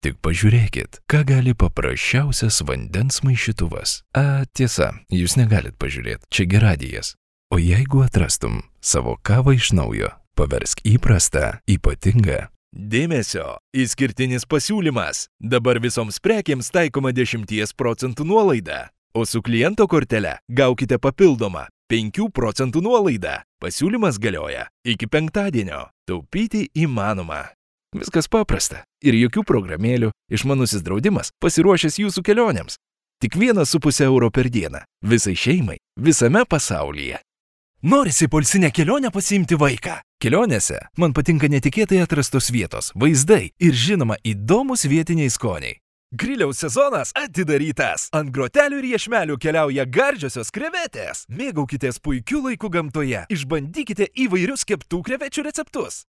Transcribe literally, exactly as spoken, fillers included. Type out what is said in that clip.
Tik pažiūrėkit, ką gali paprasčiausias vandens maišytuvas. A, tiesa, jūs negalit pažiūrėti, čia gi radijas. O jeigu atrastum savo kavą iš naujo, paversk įprastą, ypatingą. Dėmesio, išskirtinis pasiūlymas. Dabar visoms prekėms taikoma dešimties procentų nuolaida, o su kliento kortele gaukite papildomą penkių procentų nuolaidą. Pasiūlymas galioja iki penktadienio. Taupyti įmanoma. Viskas paprasta. Ir jokių programėlių, išmanusis draudimas pasiruošęs jūsų kelionėms. Tik vienas su pusė euro per dieną. Visai šeimai, visame pasaulyje. Norisi poilsinę kelionę pasiimti vaiką. Kelionėse man patinka netikėtai atrastos vietos, vaizdai ir žinoma įdomus vietiniai skoniai. Griliaus sezonas atidarytas. Ant grotelių ir iešmelių keliauja gardžiosios krevetės. Mėgaukitės puikiu laiku gamtoje. Išbandykite įvairius keptų krevečių receptus.